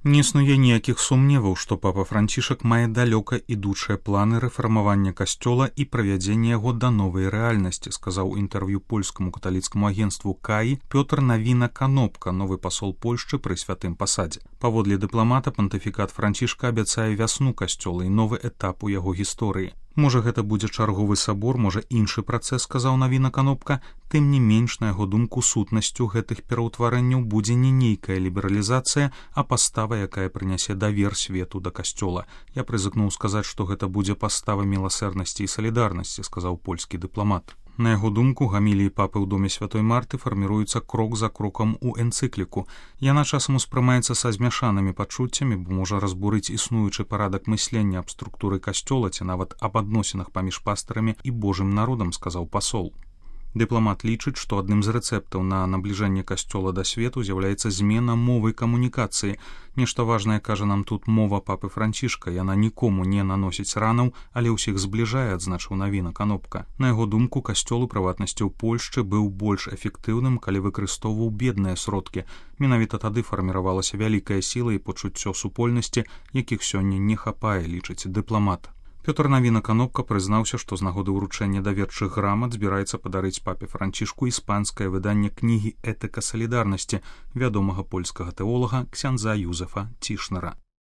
Не існуе ніякіх сумневаў, што папа Францішак мае далёка ідучыя планы рэфармавання касцёла і правядзення яго да новай рэальнасці, сказаў у інтэрв'ю польскаму каталіцкаму агенству КАІ Пётр Навіна-Канопка, новы пасол Польшчы пры святым пасадзе. Паводле дыпламата, пантыфікат Францішка абяцае вясну касцёла і новы этап у яго гісторыі. Можа, гэта будзе чарговы сабор, можа, іншы працэс, сказаў Навіна-Канопка. Тым не менш, на яго думку, сутнасцю гэтых пераўтварэнняў будзе не нейкая лібералізацыя, а пастава, якая прынясе давер свету да касцёла. Я прызыкнуў сказаць, што гэта будзе пастава міласэрнасці і салідарнасці, сказаў польскі дыпламат. На яго думку, гаміліі папы ў доме святой Марты фарміруюцца крок за крокам у энцыкліку. Яна часам успрымаецца са змяшанымі пачуццямі, бо можа разбурыць існуючы парадак мыслення аб структуры касцёла ці нават аб адносінах паміж пастарамі і божым народам, сказаў пасол. Дыпламат лічыць, што адным з рэцэптаў на набліжэнне касцёла да свету з'яўляецца змена мовы камунікацыі. Нешта важнае, кажа нам тут мова папы Францішка, яна нікому не наносіць ранаў, але ўсіх збліжае, адзначыў Навіна-Канопка. На яго думку, касцёл, у прыватнасці ў Польшчы, быў больш эфектыўным, калі выкарыстоўваў бедныя сродкі. Менавіта тады фарміравалася вялікая сіла і пачуццё супольнасці, якіх сёння не хапае, лічыць дыпламат. Пётр Навіна-Канопка прызнаўся, што з нагоды ўручэння даверчых грамат збіраецца падарыць папе Францішку іспанскае выданне кнігі «Этыка салідарнасці» вядомага польскага тэолага ксяндза Юзефа Цішнера.